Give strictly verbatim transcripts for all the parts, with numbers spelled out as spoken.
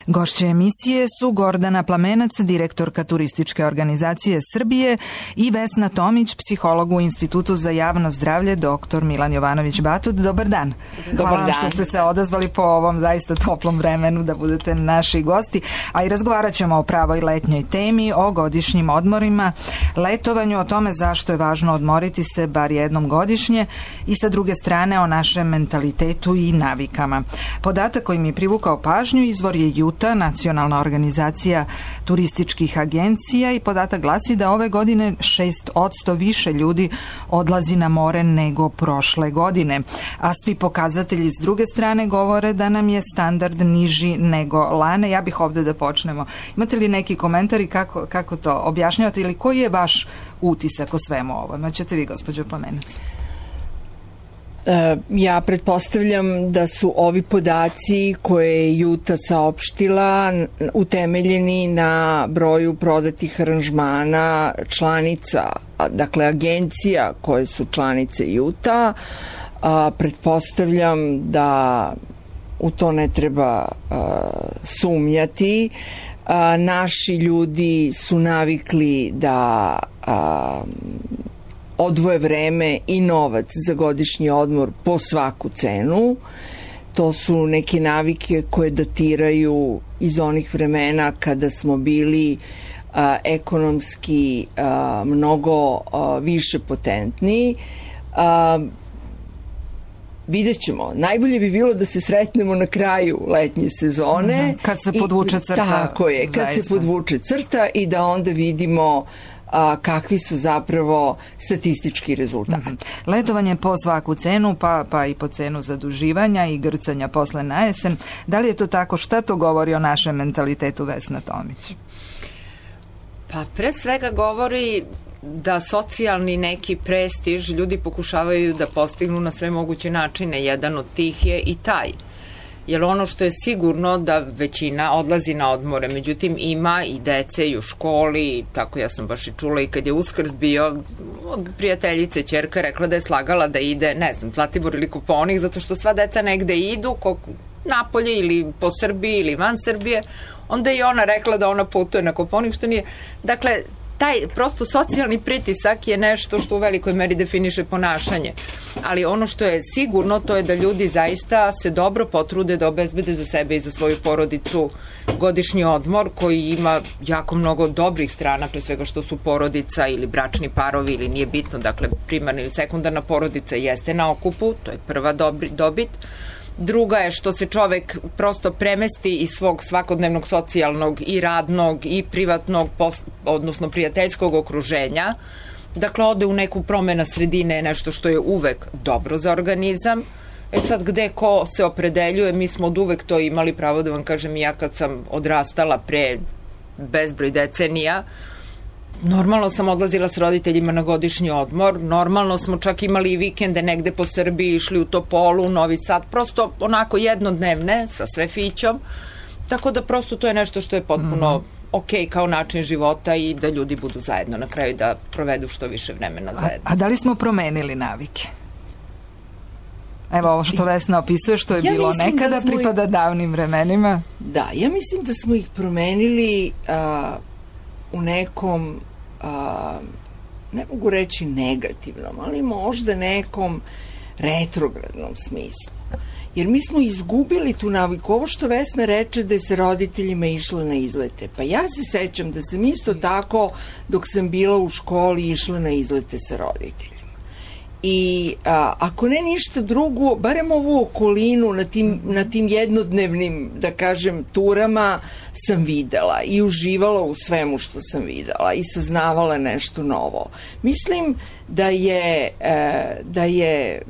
Gošće emisije su Gordana Plamenac, direktorka Turističke organizacije Srbije, i Vesna Tomić, psiholog u Institutu za javno zdravlje, doktor Milan Jovanović Batut. Dobar dan. Dobar Hvala vam dan. što ste se odazvali po ovom zaista toplom vremenu da budete naši gosti, a i razgovarat ćemo o pravoj letnjoj temi, o godišnjim odmorima, letovanju, o tome zašto je važno odmoriti se bar jednom godišnje i sa druge strane o našem mentalitetu i navikama. Podatak koji mi je privukao pažnju izvor je Juta, nacionalna organizacija turističkih agencija, i podatak glasi da ove godine šest posto više ljudi odlazi na more nego prošle godine. A svi pokazatelji s druge strane govore da nam je standard niži nego lane. Ja bih ovde da počnemo. Imate li neki komentari kako, kako to objašnjavate ili koji je vaš utisak o svemu ovome? Ćete vi, gospođo Plamenac? Ja pretpostavljam da su ovi podaci koje je Juta saopštila utemeljeni na broju prodatih aranžmana članica, dakle agencija koje su članice Juta. Pretpostavljam da u to ne treba sumnjati. Naši ljudi su navikli da odvoje vreme i novac za godišnji odmor po svaku cenu. To su neke navike koje datiraju iz onih vremena kada smo bili a, ekonomski a, mnogo a, više potentni. A, vidjet ćemo. Najbolje bi bilo da se sretnemo na kraju letnje sezone. Mm-hmm. Kad se podvuče crta. I, tako je, kad zaista. se podvuče crta i da onda vidimo a kakvi su zapravo statistički rezultati. Mm-hmm. Letovanje po svaku cenu, pa, pa i po cenu zaduživanja i grcanja posle na jesen. Da li je to tako? Šta to govori o našem mentalitetu, Vesna Tomić? Pa pre svega govori da socijalni neki prestiž ljudi pokušavaju da postignu na sve moguće načine. Jedan od tih je i taj. Jer ono što je sigurno da većina odlazi na odmore, međutim ima i dece i u školi, tako ja sam baš i čula i kad je Uskrs bio, od prijateljice ćerka rekla da je slagala da ide, ne znam, Zlatibor ili Kopaonik, zato što sva deca negde idu, napolje ili po Srbiji ili van Srbije, onda je ona rekla da ona putuje na Kopaonik, što nije, dakle, taj prosto socijalni pritisak je nešto što u velikoj meri definiše ponašanje. Ali ono što je sigurno, to je da ljudi zaista se dobro potrude da obezbede za sebe i za svoju porodicu godišnji odmor koji ima jako mnogo dobrih strana, pre svega što su porodica ili bračni parovi ili nije bitno, dakle primarna ili sekundarna porodica jeste na okupu, to je prva dobri, dobit. Druga je što se čovek prosto premesti iz svog svakodnevnog socijalnog i radnog i privatnog, odnosno prijateljskog okruženja. Dakle, ode u neku promena sredine, je nešto što je uvek dobro za organizam. E sad, gde ko se opredeljuje, mi smo od uvek to imali, pravo da vam kažem, ja kad sam odrastala pre bezbroj decenija, normalno sam odlazila s roditeljima na godišnji odmor, normalno smo čak imali i vikende negde po Srbiji, išli u Topolu, Novi Sad, prosto onako jednodnevne sa sve fićom, tako da prosto to je nešto što je potpuno mm-hmm. ok kao način života i da ljudi budu zajedno na kraju, da provedu što više vremena zajedno. A, a da li smo promenili navike? Evo ovo što Vesna opisuje, što je ja bilo nekada, da pripada ih... davnim vremenima. Da, ja mislim da smo ih promenili a, u nekom A, ne mogu reći negativnom, ali možda nekom retrogradnom smislu. Jer mi smo izgubili tu naviku. Ovo što Vesna reče da je sa roditeljima išla na izlete. Pa ja se sećam da sam isto tako dok sam bila u školi išla na izlete sa roditeljima. I a, ako ne ništa drugo, barem ovu okolinu na tim, na tim jednodnevnim, da kažem, turama sam videla i uživala u svemu što sam videla i saznavala nešto novo. Mislim da je, e, da je,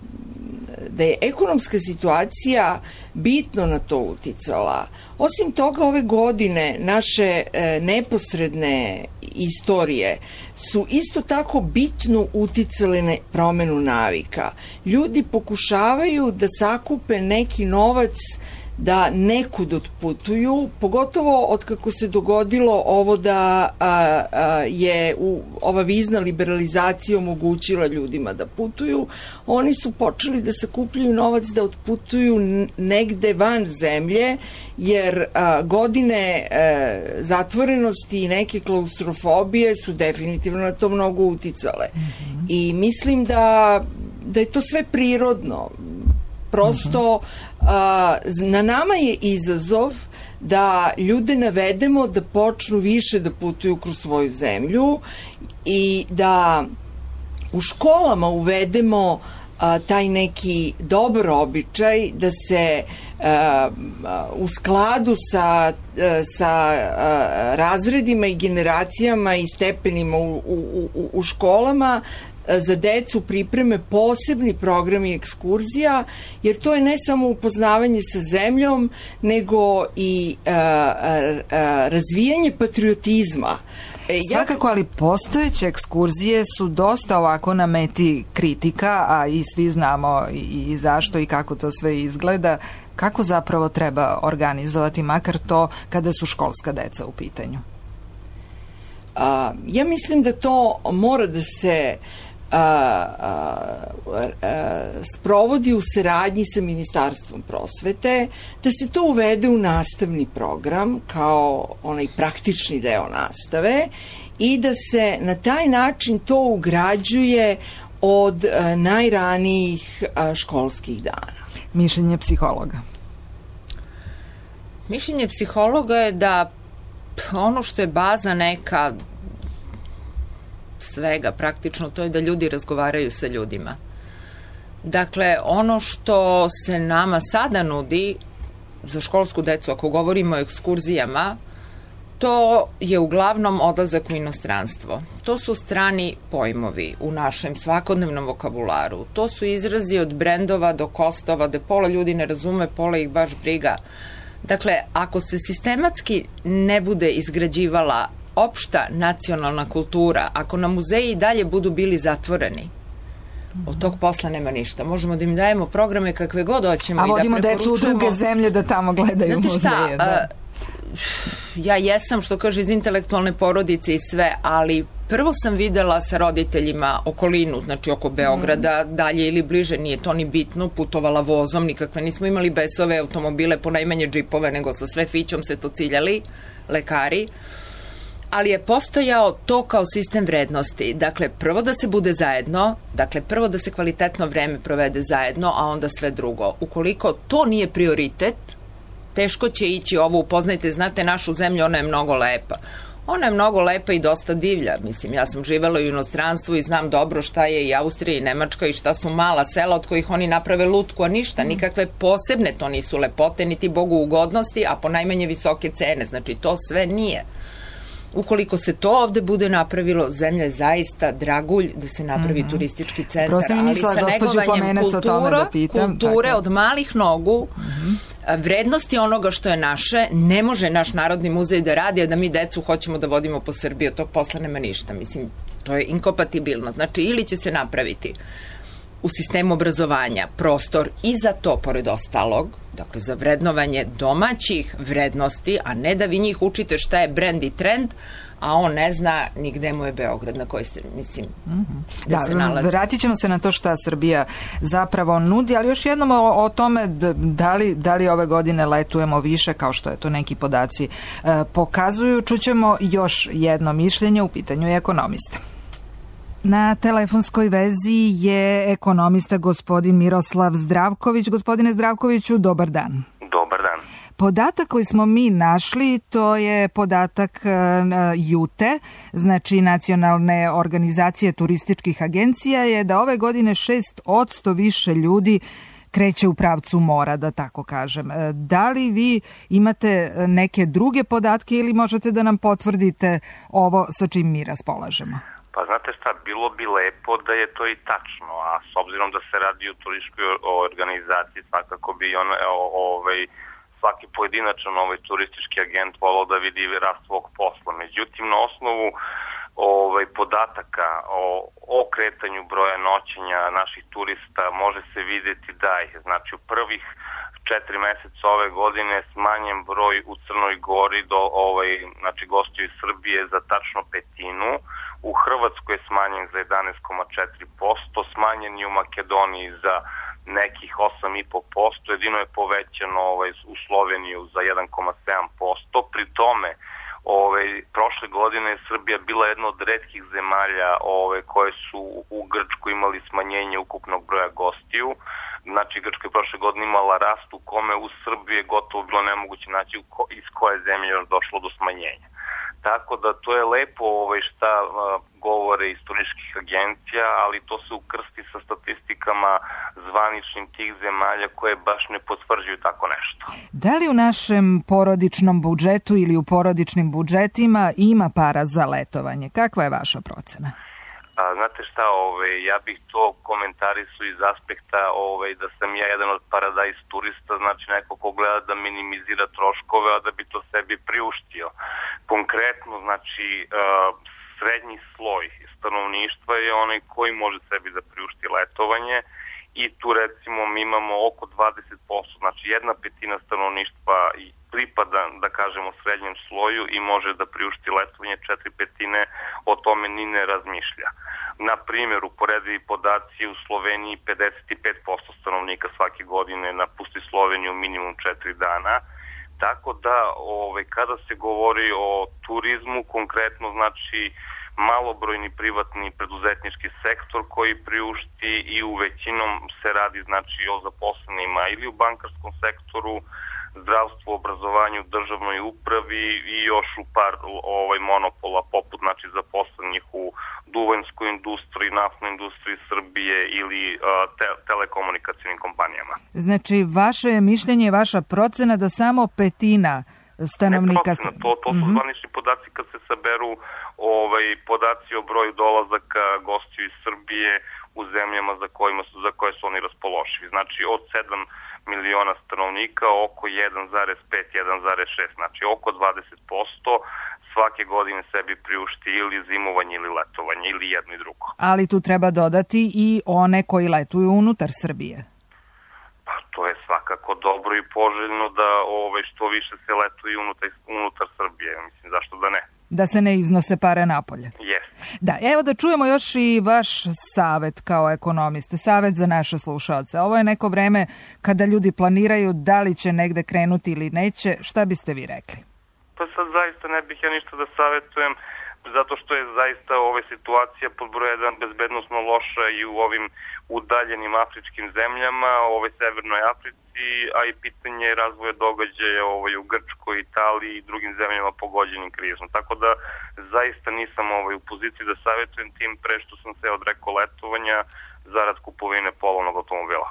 da je ekonomska situacija bitno na to uticala. Osim toga, ove godine naše e, neposredne istorije su isto tako bitno uticale na promenu navika. Ljudi pokušavaju da sakupe neki novac da nekud otputuju, pogotovo od kako se dogodilo ovo da a, a, je u, ova vizna liberalizacija omogućila ljudima da putuju, oni su počeli da sakupljaju novac da otputuju negde van zemlje, jer a, godine a, zatvorenosti i neke klaustrofobije su definitivno na to mnogo uticale. Mm-hmm. I mislim da, da je to sve prirodno. Prosto a, na nama je izazov da ljude navedemo da počnu više da putuju kroz svoju zemlju i da u školama uvedemo a, taj neki dobar običaj da se a, a, u skladu sa, a, sa a, razredima i generacijama i stepenima u, u, u, u školama za decu pripreme posebni programi ekskurzija, jer to je ne samo upoznavanje sa zemljom, nego i a, a, a, razvijanje patriotizma. Svakako, ali postojeće ekskurzije su dosta ovako na meti kritika, a i svi znamo i, i zašto i kako to sve izgleda. Kako zapravo treba organizovati, makar to kada su školska deca u pitanju? A, ja mislim da to mora da se A, a, a, sprovodi u saradnji sa Ministarstvom prosvete, da se to uvede u nastavni program kao onaj praktični deo nastave i da se na taj način to ugrađuje od a, najranijih a, školskih dana. Mišljenje psihologa. Mišljenje psihologa je da ono što je baza neka svega praktično, to je da ljudi razgovaraju sa ljudima. Dakle, ono što se nama sada nudi za školsku decu, ako govorimo o ekskurzijama, to je uglavnom odlazak u inostranstvo. To su strani pojmovi u našem svakodnevnom vokabularu. To su izrazi od brendova do kostova, da pola ljudi ne razume, pola ih baš briga. Dakle, ako se sistematski ne bude izgrađivala opšta nacionalna kultura, ako na muzeji i dalje budu bili zatvoreni, od tog posla nema ništa. Možemo da im dajemo programe kakve god hoćemo. A vodimo decu u druge zemlje da tamo gledaju Znate muzeje. Šta, da. a, ja jesam, što kaže, iz intelektualne porodice i sve, ali prvo sam videla sa roditeljima okolinu, znači oko Beograda, mm. dalje ili bliže, nije to ni bitno, putovala vozom, nikakve, nismo imali besove automobile, ponajmanje džipove, nego sa sve fićom se to ciljali, lekari, ali je postojao to kao sistem vrednosti. Dakle, prvo da se bude zajedno, dakle, prvo da se kvalitetno vreme provede zajedno, a onda sve drugo. Ukoliko to nije prioritet, teško će ići ovo, upoznajte, znate našu zemlju, ona je mnogo lepa. Ona je mnogo lepa i dosta divlja. Mislim, ja sam živela u inostranstvu i znam dobro šta je i Austrija i Nemačka i šta su mala sela od kojih oni naprave lutku, a ništa, nikakve posebne to nisu lepote, niti Bogu ugodnosti, a ponajmanje visoke cene. Znači, to sve nije. Ukoliko se to ovde bude napravilo, zemlja je zaista dragulj da se napravi mm-hmm. turistički centar, ali sa negovanjem kultura, da pitam, kulture tako. Od malih nogu, mm-hmm. vrednosti onoga što je naše, ne može naš Narodni muzej da radi, a da mi decu hoćemo da vodimo po Srbiji, od tog posla nema ništa. Mislim, to je inkompatibilno. Znači, ili će se napraviti u sistemu obrazovanja prostor i za to, pored ostalog, dakle za vrednovanje domaćih vrednosti, a ne da vi njih učite šta je brend i trend, a on ne zna ni gde mu je Beograd, na koji ste, mislim, mm-hmm. da, da se nalazi. Vratit ćemo se na to šta Srbija zapravo nudi, ali još jednom o, o tome da li, da li ove godine letujemo više, kao što je to neki podaci e, pokazuju. Čućemo još jedno mišljenje, u pitanju je ekonomista. Na telefonskoj vezi je ekonomista gospodin Miroslav Zdravković. Gospodine Zdravkoviću, dobar dan. Dobar dan. Podatak koji smo mi našli, to je podatak ju te e, znači Nacionalne organizacije turističkih agencija, je da ove godine šest posto više ljudi kreće u pravcu mora, da tako kažem. Da li vi imate neke druge podatke ili možete da nam potvrdite ovo sa čim mi raspolažemo? Pa znate šta, bilo bi lepo da je to i tačno, a s obzirom da se radi o turističkoj organizaciji, svakako bi on, ovaj, svaki pojedinačan ovaj turistički agent volao da vidi rast svog posla. Međutim, na osnovu ovaj, podataka o, o kretanju broja noćenja naših turista može se vidjeti da je, znači u prvih četiri meseca ove godine smanjen broj u Crnoj Gori do ovaj, znači gostiju iz Srbije za tačno petinu, u Hrvatskoj je smanjen za jedanaest zarez četiri posto, smanjen je u Makedoniji za nekih osam zarez pet posto, jedino je povećano ovaj, u Sloveniju za jedan zarez sedam posto, pri tome Ove, prošle godine je Srbija bila jedna od retkih zemalja ove, koje su u Grčku imali smanjenje ukupnog broja gostiju. Znači Grčka je prošle godine imala rast u kome u Srbiji je gotovo bilo nemoguće naći ko, iz koje zemlje je došlo do smanjenja. Tako da to je lepo ovaj, šta a, govore istorijskih agencija, ali to se ukrsti sa statistikama zvaničnim tih zemalja koje baš ne potvrđuju tako nešto. Da li u našem porodičnom budžetu ili u porodičnim budžetima ima para za letovanje? Kakva je vaša procena? A, znate šta, ovaj, ja bih to komentarisao iz aspekta ovaj, da sam ja jedan od paradajz turista, znači neko ko gleda da minimizira troškove, a da bi to sebi priuštio. Konkretno, znači, uh, srednji sloj stanovništva je onaj koji može sebi da priušti letovanje i tu recimo mi imamo oko dvadeset posto, znači jedna petina stanovništva pripada, da kažemo, srednjem sloju i može da priušti letovanje, četiri petine o tome ni ne razmišlja. Na primjer, uporedivi podaci u Sloveniji pedeset pet posto stanovnika svake godine napusti Sloveniju minimum četiri dana. Tako da, ovaj, kada se govori o turizmu, konkretno znači malobrojni privatni preduzetnički sektor koji priušti i u većinom se radi znači o zaposlenima ili u bankarskom sektoru, zdravstvu, obrazovanju, državnoj upravi i još u par ovaj, monopola poput znači zaposlenih u duvanskoj industriji, naftnoj industriji Srbije ili uh, te, telekomunikacijnim kompanijama. Znači, vaše mišljenje, vaša procena da samo petina stanovnika... Ne procena, to, to su mm-hmm. zvanični podaci kad se saberu ovaj, podaci o broju dolazaka gostiju iz Srbije u zemljama za, kojima su, za koje su oni raspoloživi. Znači, od sedam miliona stanovnika, oko jedan zarez pet do jedan zarez šest, znači oko dvadeset posto svake godine sebi priušti ili zimovanje ili letovanje ili jedno i drugo. Ali tu treba dodati i one koji letuju unutar Srbije. Pa to je svakako dobro i poželjno da ovaj, što više se letuje unutar, unutar Srbije, mislim zašto da ne. Da se ne iznose pare napolje. Yes. Da, evo da čujemo još i vaš savet kao ekonomiste, savet za naše slušaoce. Ovo je neko vreme kada ljudi planiraju da li će negde krenuti ili neće. Šta biste vi rekli? Pa sad zaista ne bih ja ništa da savjetujem, zato što je zaista ova situacija pod broj jedan bezbednosno loša i u ovim udaljenim afričkim zemljama, u ovoj Severnoj Africi, a i pitanje razvoja događaja ovaj, u Grčkoj, Italiji i drugim zemljama pogođenim krizom. Tako da zaista nisam ovaj, u poziciji da savjetujem, tim pre što sam se odrekao letovanja zarad kupovine polovnog automobila.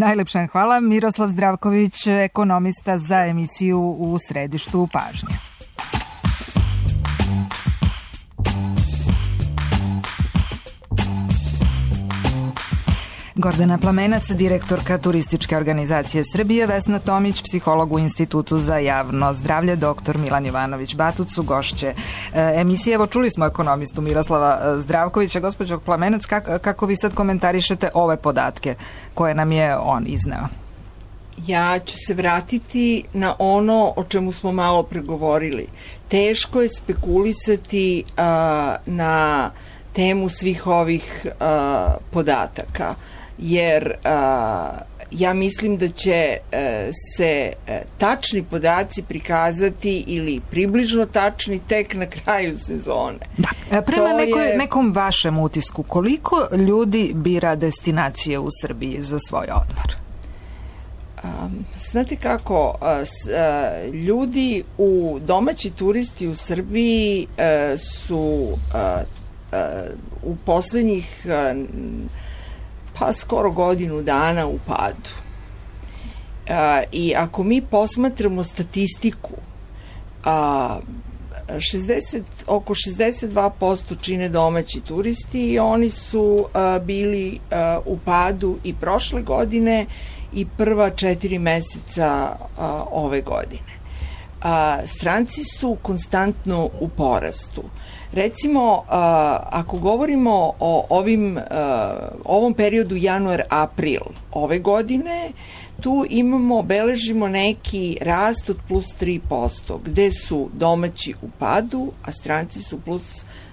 Najlepša hvala. Miroslav Zdravković, ekonomista za emisiju U središtu pažnje. Gordana Plamenac, direktorka Turističke organizacije Srbije, Vesna Tomić, psiholog u Institutu za javno zdravlje, doktor Milan Jovanović Batucu, gošće emisije. Evo, čuli smo ekonomistu Miroslava Zdravkovića. Gospođo Plamenac, kako, kako vi sad komentarišete ove podatke koje nam je on izneo? Ja ću se vratiti na ono o čemu smo malo pregovorili. Teško je spekulisati uh, na temu svih ovih uh, podataka, jer uh, ja mislim da će uh, se uh, tačni podaci prikazati ili približno tačni tek na kraju sezone. Da. Prema nekoj, je... nekom vašem utisku, koliko ljudi bira destinacije u Srbiji za svoj odmor? Um, znate kako, uh, s, uh, ljudi u domaći turisti u Srbiji uh, su uh, uh, u poslednjih uh, pa skoro godinu dana u padu. Uh, I ako mi posmatramo statistiku, uh, šezdeset, oko šezdeset dva posto čine domaći turisti i oni su uh, bili uh, u padu i prošle godine i prva četiri meseca a, ove godine. a, stranci su konstantno u porastu. Recimo, a, ako govorimo o ovim, a, ovom periodu januar-april ove godine, tu imamo, beležimo neki rast od plus tri posto, gde su domaći u padu, a stranci su plus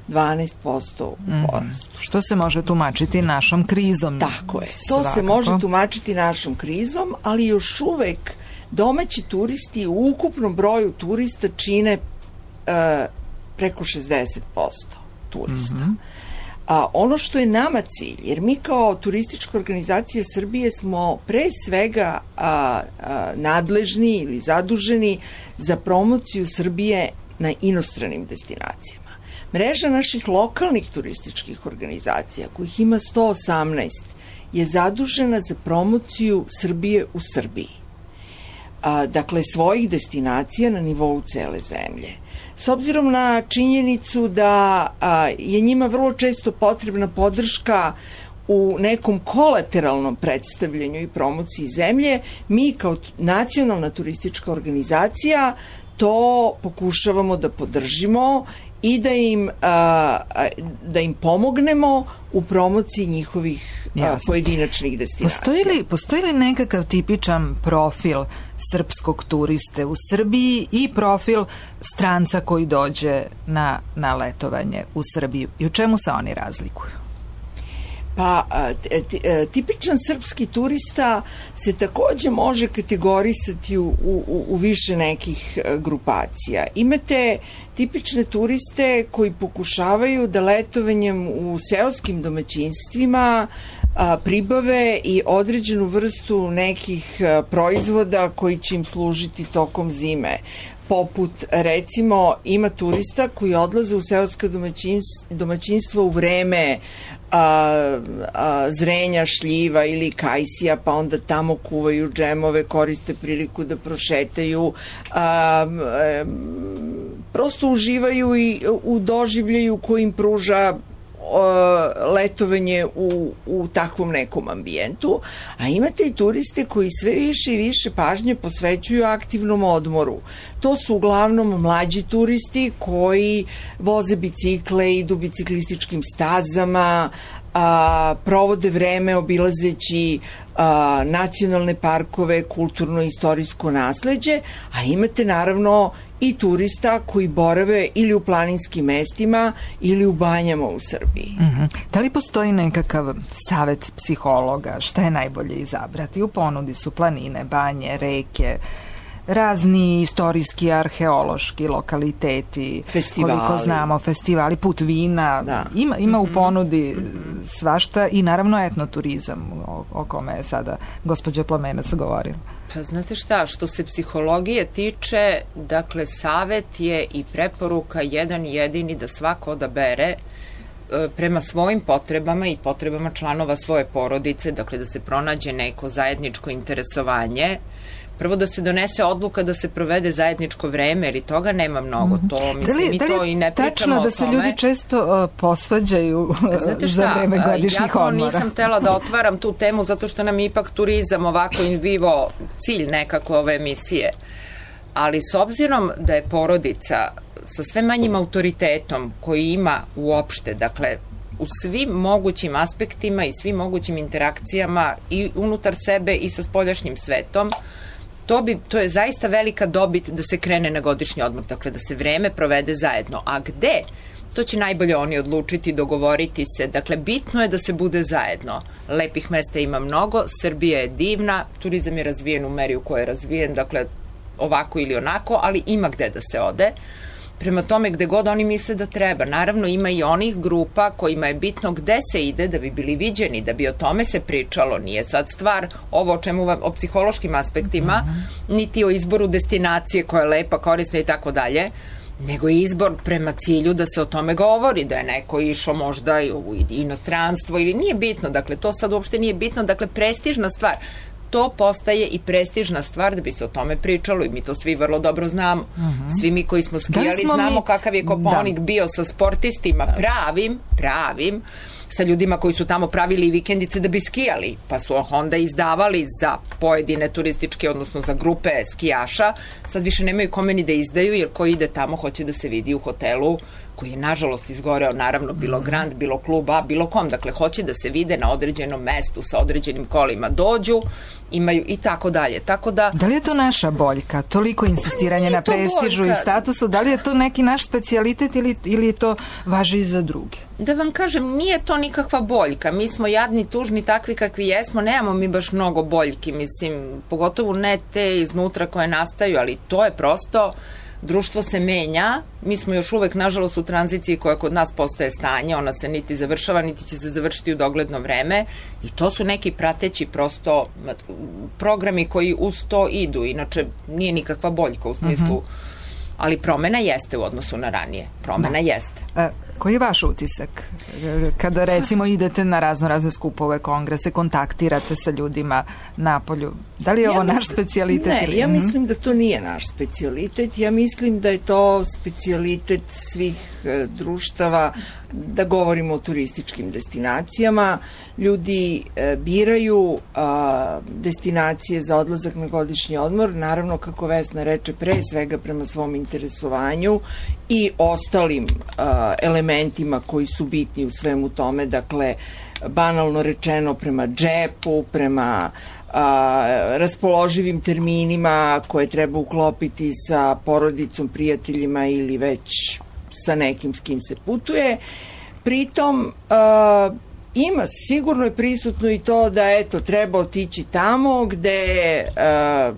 dvanaest posto u porastu. Mm, što se može tumačiti našom krizom. Tako je. To svakako se može tumačiti našom krizom, ali još uvek domaći turisti u ukupnom broju turista čine uh, preko šezdeset posto turista. Mm-hmm. A ono što je nama cilj, jer mi kao turistička organizacija Srbije smo pre svega a, a, nadležni ili zaduženi za promociju Srbije na inostranim destinacijama. Mreža naših lokalnih turističkih organizacija, kojih ima sto osamnaest, je zadužena za promociju Srbije u Srbiji. A, dakle, svojih destinacija na nivou cele zemlje. S obzirom na činjenicu da a, je njima vrlo često potrebna podrška u nekom kolateralnom predstavljanju i promociji zemlje, mi kao nacionalna turistička organizacija to pokušavamo da podržimo i da im, a, da im pomognemo u promociji njihovih a, pojedinačnih destinacija. Postoji li, postoji li nekakav tipičan profil srpskog turiste u Srbiji i profil stranca koji dođe na, na letovanje u Srbiju? I u čemu se oni razlikuju? Pa, tipičan srpski turista se takođe može kategorisati u, u, u više nekih grupacija. Imate tipične turiste koji pokušavaju da letovanjem u seoskim domaćinstvima a, pribave i određenu vrstu nekih a, proizvoda koji će im služiti tokom zime. Poput, recimo, ima turista koji odlaze u seoska domaćinstva, domaćinstva u vreme a, a, zrenja šljiva ili kajsija, pa onda tamo kuvaju džemove, koriste priliku da prošetaju, a, a, prosto uživaju i u doživljaju koji im pruža letovanje u, u takvom nekom ambijentu, a imate i turiste koji sve više i više pažnje posvećuju aktivnom odmoru. To su uglavnom mlađi turisti koji voze bicikle, idu biciklističkim stazama, a, provode vreme obilazeći a, nacionalne parkove, kulturno-istorijsko nasleđe, a imate naravno i turista koji borave ili u planinskim mestima ili u banjama u Srbiji. Mm-hmm. Da li postoji nekakav savet psihologa šta je najbolje izabrati? U ponudi su planine, banje, reke, razni istorijski, arheološki lokaliteti, festivali. Koliko znamo, festivali, put vina, da. ima, ima mm-hmm. u ponudi svašta i naravno etnoturizam o, o kome je sada gospođa Plamenac govorila. Pa znate šta, što se psihologije tiče, dakle, savet je i preporuka jedan jedini da svako odabere prema svojim potrebama i potrebama članova svoje porodice, dakle da se pronađe neko zajedničko interesovanje. Prvo da se donese odluka da se provede zajedničko vreme, jer i toga nema mnogo. To, mislim, da li, mi da li to i ne pričamo o tome. Tačno da se ljudi često uh, posvađaju za vreme godišnjih odmora? Ja to nisam htela da otvaram tu temu, zato što nam je ipak turizam ovako in vivo cilj nekako ove emisije. Ali s obzirom da je porodica sa sve manjim autoritetom koji ima uopšte, dakle, u svim mogućim aspektima i svim mogućim interakcijama i unutar sebe i sa spoljašnjim svetom, To, bi, to je zaista velika dobit da se krene na godišnji odmor, dakle da se vreme provede zajedno. A gde? To će najbolje oni odlučiti, dogovoriti se. Dakle, bitno je da se bude zajedno. Lepih mesta ima mnogo, Srbija je divna, turizam je razvijen u meri u kojoj je razvijen, dakle ovako ili onako, ali ima gde da se ode. Prema tome, gde god oni misle da treba. Naravno, ima i onih grupa kojima je bitno gde se ide da bi bili viđeni, da bi o tome se pričalo. Nije sad stvar ovo o čemu vam, o psihološkim aspektima, mm-hmm. niti o izboru destinacije koja je lepa, korisna i tako dalje, nego je izbor prema cilju da se o tome govori, da je neko išao možda u inostranstvo ili nije bitno. Dakle, to sad uopšte nije bitno. Dakle, prestižna stvar. To postaje i prestižna stvar da bi se o tome pričalo i mi to svi vrlo dobro znamo. Uh-huh. Svi mi koji smo skijali da smo znamo mi... kakav je Kopaonik da. bio sa sportistima pravim, pravim, sa ljudima koji su tamo pravili vikendice da bi skijali, pa su onda izdavali za pojedine turističke, odnosno za grupe skijaša, sad više nemaju kome ni da izdaju, jer ko ide tamo hoće da se vidi u hotelu koji je nažalost izgoreo, naravno bilo Grand, bilo Klub A, bilo kom, dakle hoće da se vide na određenom mestu sa određenim kolima, dođu, imaju i tako dalje. Tako da... Da li je to naša boljka? Toliko insistiranje na prestižu i statusu, da li je to neki naš specijalitet ili, ili to važi i za druge? Da vam kažem, nije to nikakva boljka. Mi smo jadni, tužni, takvi kakvi jesmo, nemamo mi baš mnogo boljki, mislim, pogotovo ne te iznutra koje nastaju, ali to je prosto... Društvo se menja, mi smo još uvek nažalost u tranziciji koja kod nas postaje stanje, ona se niti završava, niti će se završiti u dogledno vreme i to su neki prateći prosto programi koji uz to idu, inače nije nikakva boljka u smislu, mm-hmm. ali promena jeste u odnosu na ranije, promena da. jeste. E, koji je vaš utisak kada recimo idete na razno razne skupove, kongrese, kontaktirate sa ljudima napolju? Da li je ja ovo mislim, naš specijalitet? Ne, ili... ja mislim da to nije naš specijalitet. Ja mislim da je to specijalitet svih e, društava, da govorimo o turističkim destinacijama. Ljudi e, biraju a, destinacije za odlazak na godišnji odmor, naravno, kako Vesna reče, pre svega prema svom interesovanju i ostalim a, elementima koji su bitni u svemu tome, dakle, banalno rečeno prema džepu, prema a, raspoloživim terminima koje treba uklopiti sa porodicom, prijateljima ili već sa nekim s kim se putuje. Pritom a, ima, sigurno je prisutno i to da eto, treba otići tamo gde a,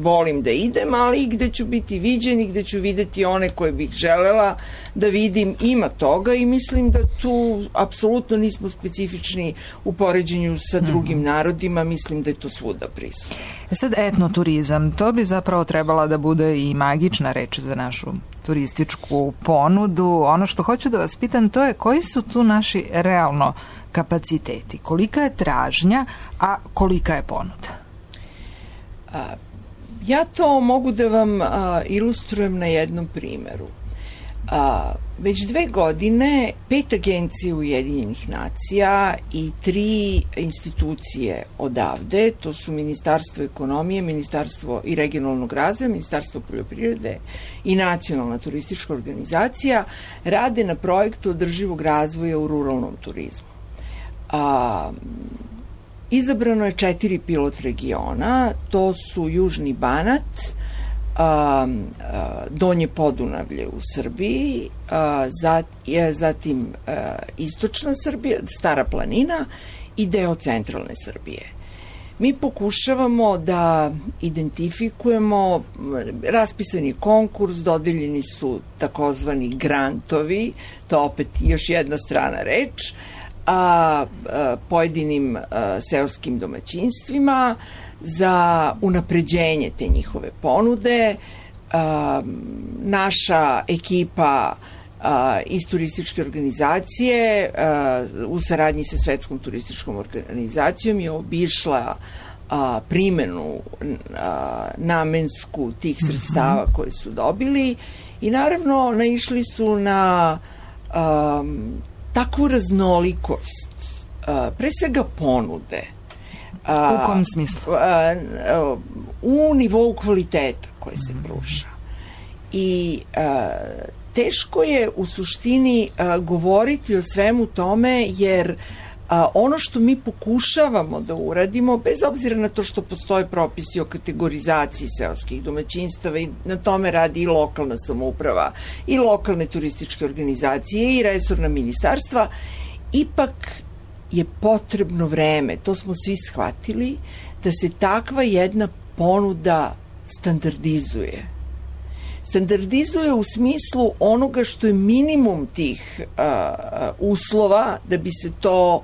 volim da idem, ali i gde ću biti viđen i gde ću videti one koje bih želela da vidim. Ima toga i mislim da tu apsolutno nismo specifični u poređenju sa drugim mm-hmm. narodima, mislim da je to svuda prisutno. Sad etnoturizam, to bi zapravo trebala da bude i magična reč za našu turističku ponudu. Ono što hoću da vas pitam, to je koji su tu naši realno kapaciteti, kolika je tražnja, a kolika je ponuda? A, ja to mogu da vam a, ilustrujem na jednom primeru. A, već dve godine pet agencije Ujedinjenih nacija i tri institucije odavde, to su Ministarstvo ekonomije, Ministarstvo i regionalnog razvoja, Ministarstvo poljoprivrede i Nacionalna turistička organizacija, rade na projektu održivog razvoja u ruralnom turizmu. A, izabrano je četiri pilot regiona, to su Južni Banat, a, a, Donje Podunavlje u Srbiji, a, zat, je, zatim a, Istočna Srbija, Stara planina i deo centralne Srbije. Mi pokušavamo da identifikujemo, raspisani konkurs, dodeljeni su takozvani grantovi, to opet još jedna strana reč, a, a pojedinim a, seoskim domaćinstvima za unapređenje te njihove ponude. A, naša ekipa a, iz turističke organizacije a, u saradnji sa Svetskom turističkom organizacijom je obišla a, primenu a, namensku tih sredstava koje su dobili i naravno naišli su na a, takvu raznolikost, a, pre svega ponude. A, u kom smislu? A, a, u nivou kvaliteta koje se pruža. I a, teško je u suštini a, govoriti o svemu tome, jer a, ono što mi pokušavamo da uradimo, bez obzira na to što postoje propisi o kategorizaciji seoskih domaćinstava i na tome radi i lokalna samouprava i lokalne turističke organizacije i resorna ministarstva, ipak je potrebno vreme, to smo svi shvatili, da se takva jedna ponuda standardizuje. Standardizuje u smislu onoga što je minimum tih a, uslova da bi se to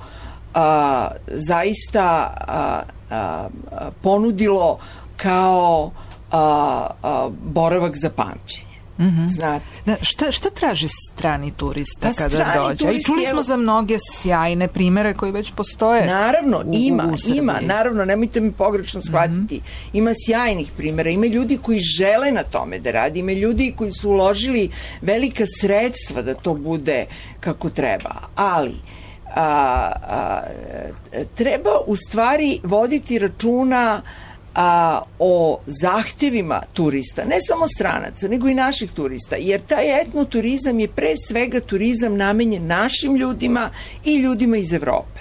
a, zaista a, a, a, ponudilo kao a, a, boravak za pamćenje. Mm-hmm. Znate. Da, šta, šta traži strani turista pa kada dođe? I čuli smo za mnoge sjajne primere koji već postoje. Naravno, u, ima, u ima, naravno, nemojte mi pogrešno shvatiti. Mm-hmm. Ima sjajnih primera, ima ljudi koji žele na tome da radi, ima ljudi koji su uložili velika sredstva da to bude kako treba, ali a, a, treba u stvari voditi računa a, o zahtevima turista, ne samo stranaca, nego i naših turista, jer taj etnoturizam je pre svega turizam namenjen našim ljudima i ljudima iz Evrope.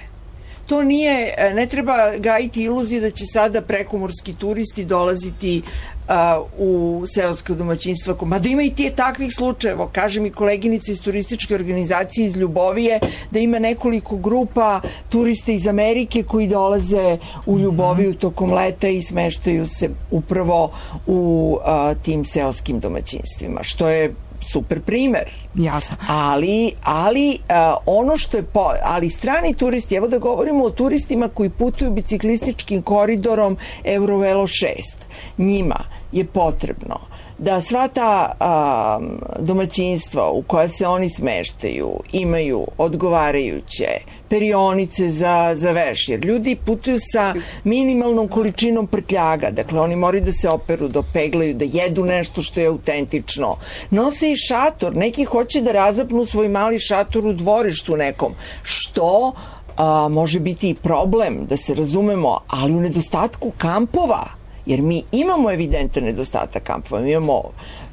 To nije, ne treba gajiti iluzije da će sada prekomorski turisti dolaziti uh, u seoska domaćinstva. Mada ima i tije takvih slučajeva. Kaže mi koleginica iz turističke organizacije iz Ljubovije da ima nekoliko grupa turista iz Amerike koji dolaze u Ljuboviju tokom leta i smeštaju se upravo u uh, tim seoskim domaćinstvima, što je super primer. Jasno. Ali, ali uh, ono što je po, ali strani turisti, evo da govorimo o turistima koji putuju biciklističkim koridorom Eurovelo šest. Njima je potrebno da sva ta a, domaćinstva u koja se oni smeštaju imaju odgovarajuće perionice za, za veš, jer ljudi putuju sa minimalnom količinom prtljaga, dakle oni moraju da se operu, da peglaju, da jedu nešto što je autentično. Nose i šator, neki hoće da razapnu svoj mali šator u dvorištu nekom, što a, može biti i problem, da se razumemo, ali u nedostatku kampova, jer mi imamo evidentan nedostatak kampova, mi imamo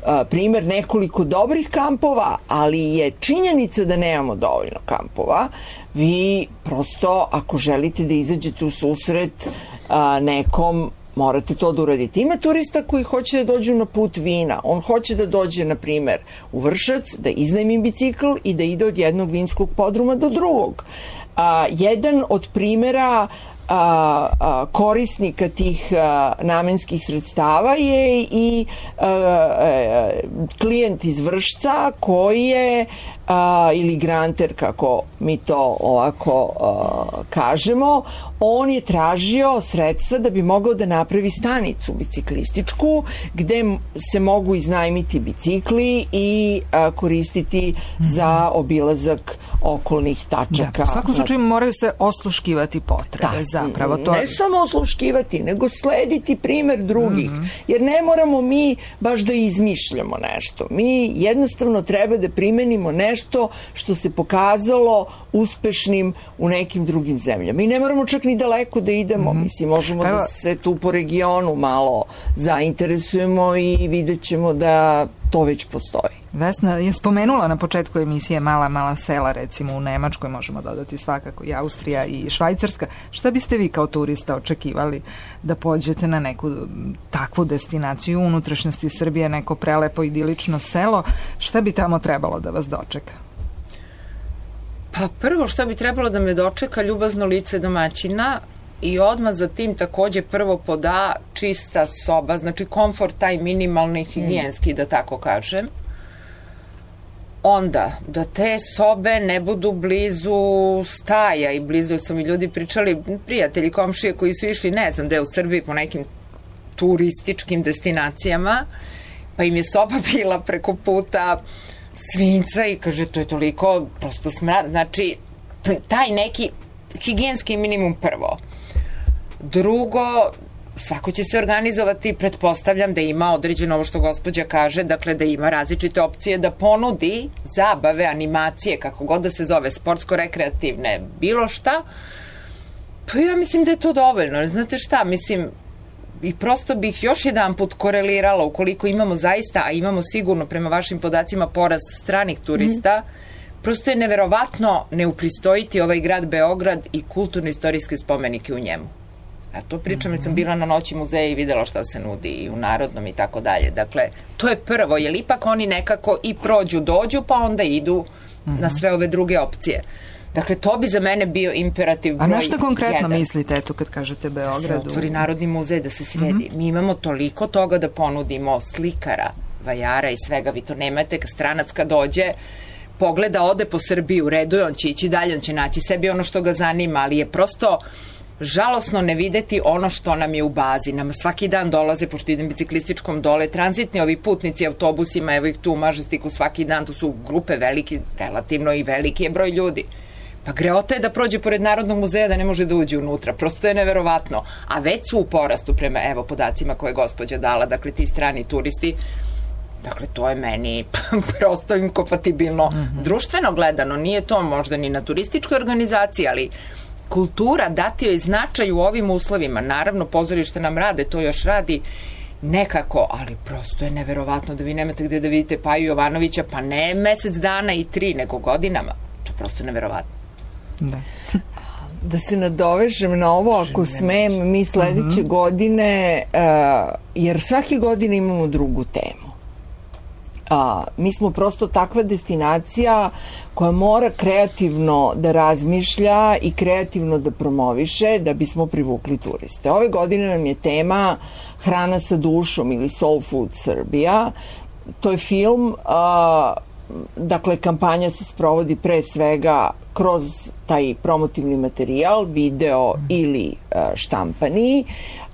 a, primer nekoliko dobrih kampova, ali je činjenica da nemamo dovoljno kampova. Vi prosto, ako želite da izađete u susret a, nekom, morate to da uradite. Ima turista koji hoće da dođu na put vina. On hoće da dođe, na primer, u Vršac, da iznajmi bicikl i da ide od jednog vinskog podruma do drugog. A, jedan od primera A, a, korisnika tih a, namenskih sredstava je i a, a, klijent iz Vršca koji je a, ili granter, kako mi to ovako a, kažemo, on je tražio sredstva da bi mogao da napravi stanicu biciklističku gde se mogu iznajmiti bicikli i a, koristiti mm-hmm. za obilazak okolnih tačaka. Da, u svakom slučaju moraju se osluškivati potrebe. Da, zapravo to... Ne samo osluškivati, nego slediti primer drugih. Mm-hmm. Jer ne moramo mi baš da izmišljamo nešto. Mi jednostavno treba da primenimo nešto što se pokazalo uspešnim u nekim drugim zemljama. I ne moramo čak ni daleko da idemo. Mm-hmm. Mislim, možemo Evo... da se tu po regionu malo zainteresujemo i vidjet ćemo da to već postoji. Vesna je spomenula na početku emisije mala, mala sela, recimo u Nemačkoj, možemo dodati svakako i Austrija i Švajcarska. Šta biste vi kao turista očekivali da pođete na neku takvu destinaciju u unutrašnjosti Srbije, neko prelepo idilično selo? Šta bi tamo trebalo da vas dočeka? Pa prvo što bi trebalo da me dočeka ljubazno lice domaćina i odmah za tim takođe prvo poda čista soba, znači komfort taj minimalni higijenski, mm. da tako kažem. Onda, da te sobe ne budu blizu staja i blizu, jer su mi ljudi pričali, prijatelji, komšije koji su išli, ne znam, gde u Srbiji po nekim turističkim destinacijama, pa im je soba bila preko puta svinca i kaže, to je toliko prosto smrad. Znači, taj neki higijenski minimum prvo. Drugo, svako će se organizovati, pretpostavljam da ima određeno ovo što gospođa kaže, dakle da ima različite opcije da ponudi zabave, animacije, kako god da se zove, sportsko-rekreativne, bilo šta. Pa ja mislim da je to dovoljno. Znate šta, mislim, i prosto bih još jedan put korelirala, ukoliko imamo zaista, a imamo sigurno prema vašim podacima porast stranih turista, mm. prosto je neverovatno ne upristojiti ovaj grad Beograd i kulturno-istorijske spomenike u njemu. A to pričam, jer sam bila na noći muzeja i videla šta se nudi i u Narodnom i tako dalje. Dakle, to je prvo, jer ipak oni nekako i prođu, dođu, pa onda idu mm-hmm. na sve ove druge opcije. Dakle, to bi za mene bio imperativ broj jedan. A na što konkretno jedan. Mislite, eto, kad kažete Beogradu? Da se otvori Narodni muzej, da se sredi. Mm-hmm. Mi imamo toliko toga da ponudimo, slikara, vajara i svega. Vi to nemate, kad stranac kad dođe, pogleda, ode po Srbiji, u redu je, on će ići dalje, on će naći sebi ono što ga zanima, ali je prosto žalosno ne videti ono što nam je u bazi. Nam svaki dan dolaze, pošto idem biciklističkom dole, tranzitni ovi putnici autobusima, evo ih tu u Mažestiku svaki dan, tu su grupe veliki, relativno i veliki je broj ljudi. Pa greota je da prođe pored Narodnog muzeja da ne može da uđe unutra. Prosto je neverovatno. A već su u porastu prema, evo, podacima koje je gospođa dala, dakle ti strani turisti. Dakle, to je meni prosto inkompatibilno. Mm-hmm. Društveno gledano, nije to možda ni na turističkoj organizaciji, ali kultura dati joj značaj u ovim uslovima. Naravno, pozorište nam rade, to još radi nekako, ali prosto je neverovatno da vi nemate gde da vidite Paju Jovanovića, pa ne mesec dana i tri, nego godinama. To je prosto neverovatno. Da. Da se nadovežem na ovo, ako smem, mi sledeće uh-huh. godine, uh, jer svake godine imamo drugu temu. A, mi smo prosto takva destinacija koja mora kreativno da razmišlja i kreativno da promoviše da bismo privukli turiste. Ove godine nam je tema Hrana sa dušom ili Soul Food Serbia. To je film, a, dakle kampanja se sprovodi pre svega kroz taj promotivni materijal, video ili a, štampani.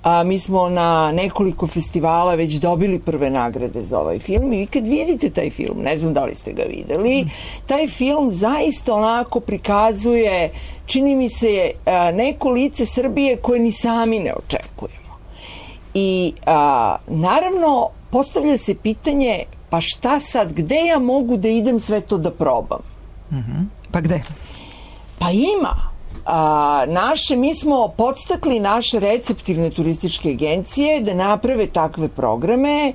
A, mi smo na nekoliko festivala već dobili prve nagrade za ovaj film i vi kad vidite taj film, ne znam da li ste ga videli, taj film zaista onako prikazuje, čini mi se, a, neko lice Srbije koje ni sami ne očekujemo. I a, naravno postavlja se pitanje, pa šta sad, gde ja mogu da idem sve to da probam? Mm-hmm. Pa gde? Pa ima. A, naše, mi smo podstakli naše receptivne turističke agencije da naprave takve programe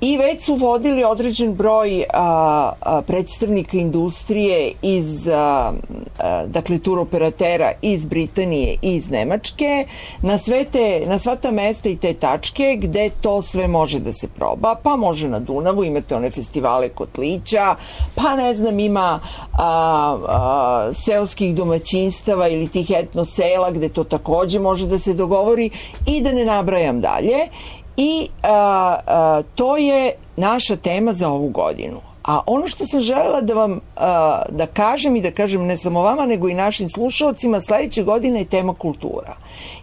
i već su vodili određen broj a, a, predstavnika industrije iz, a, a, dakle, turoperatera iz Britanije i iz Nemačke na, sve te, na sva ta mesta i te tačke gde to sve može da se proba, pa može na Dunavu, imate one festivale kotlića, pa ne znam, ima a, a, seoskih domaćinstava ili tih etno sela gde to takođe može da se dogovori i da ne nabrajam dalje. I a, a, to je naša tema za ovu godinu. A ono što sam želela da vam a, da kažem i da kažem ne samo vama nego i našim slušalcima, sledeće godine je tema kultura.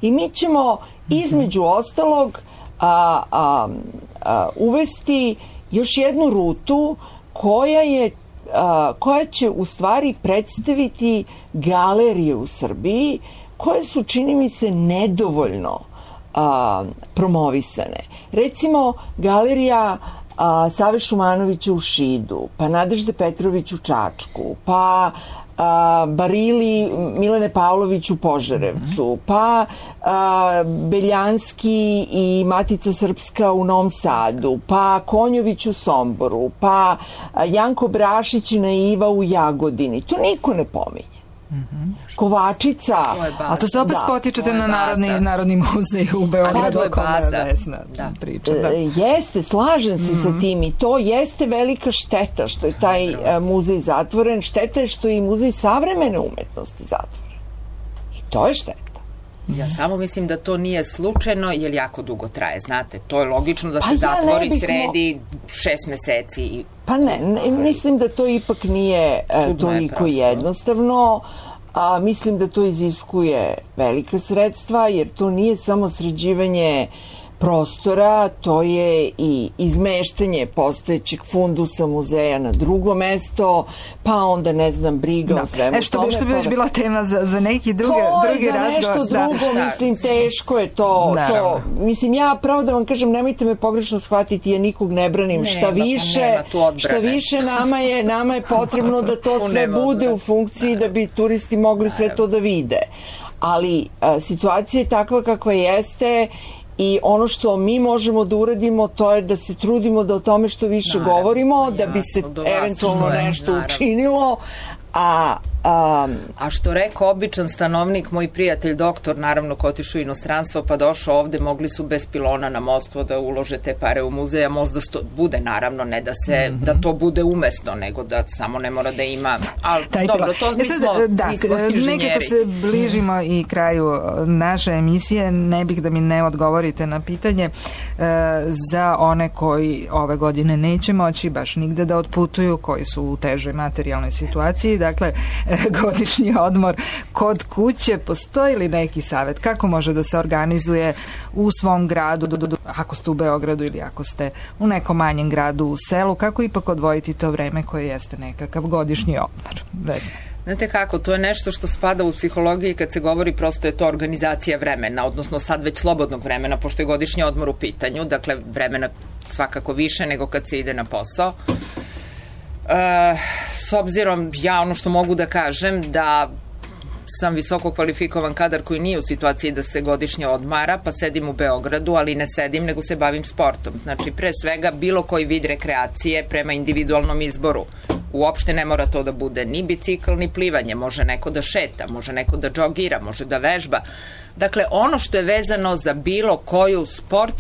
I mi ćemo između ostalog a, a, a, uvesti još jednu rutu koja je a, koja će u stvari predstaviti galerije u Srbiji koje su, čini mi se, nedovoljno a, promovisane. Recimo, galerija a, Save Šumanovića u Šidu, pa Nadežde Petrović u Čačku, pa a, Barili Milene Pavlović u Požarevcu, pa a, Beljanski i Matica Srpska u Novom Sadu, pa Konjović u Somboru, pa a, Janko Brašić i Naiva u Jagodini. To niko ne pominje. Mm-hmm. Kovačica. A to se opet da, spotičete na narodni, narodni muzej u Beogradu. To je baza. Da. Priča, da. E, jeste, slažem se mm-hmm. sa tim i to jeste velika šteta što je taj a, muzej zatvoren. Šteta je što je i muzej savremene umetnosti zatvoren. I to je šteta. Ja samo mislim da to nije slučajno, jer jako dugo traje, znate. To je logično da pa se ja zatvori bih sredi mo... šest meseci. I... Pa ne, ne, mislim da to ipak nije uh, toliko jednostavno. A, mislim da to iziskuje velika sredstva, jer to nije samo sređivanje prostora, to je i izmeštanje postojećeg fundusa muzeja na drugo mesto, pa onda, ne znam, briga da. o svemu e, što tome. Bi, što bi već bila tema za, za neki druge, drugi razgovor. To je za nešto drugo, da. mislim, teško je to, to. Mislim, ja pravo da vam kažem, nemojte me pogrešno shvatiti, ja nikog ne branim. Nema, šta više, šta više nama je, nama je potrebno da to sve bude u funkciji da bi turisti mogli sve to da vide. Ali a, situacija je takva kakva jeste. I ono što mi možemo da uradimo, to je da se trudimo da o tome što više naravno, govorimo, da bi se eventualno nešto naravno. učinilo, a... Um, a što rekao običan stanovnik, moj prijatelj doktor, naravno ko otišao u inostranstvo pa došao ovde, mogli su bez pilona na mostu da ulože te pare u muzej, a most da sto, bude naravno, ne da se mm-hmm. da to bude umesno, nego da samo ne mora da ima, ali taj dobro, to mi smo, da, mi smo inženjeri. Nekako se bližimo i kraju naše emisije, ne bih da mi ne odgovorite na pitanje e, za one koji ove godine neće moći baš nigde da otputuju, koji su u težoj materijalnoj situaciji, dakle godišnji odmor kod kuće, postoji li neki savjet kako može da se organizuje u svom gradu, ako ste u Beogradu ili ako ste u nekom manjem gradu u selu, kako ipak odvojiti to vreme koje jeste nekakav godišnji odmor? Vesna. Znate kako, to je nešto što spada u psihologiji kad se govori, prosto je to organizacija vremena, odnosno sad već slobodnog vremena, pošto je godišnji odmor u pitanju, dakle vremena svakako više nego kad se ide na posao. E, s obzirom, ja ono što mogu da kažem, da sam visoko kvalifikovan kadar koji nije u situaciji da se godišnje odmara, pa sedim u Beogradu, ali ne sedim, nego se bavim sportom. Znači, pre svega, bilo koji vid rekreacije prema individualnom izboru. Uopšte ne mora to da bude ni bicikl, ni plivanje. Može neko da šeta, može neko da džogira, može da vežba. Dakle, ono što je vezano za bilo koju sportsku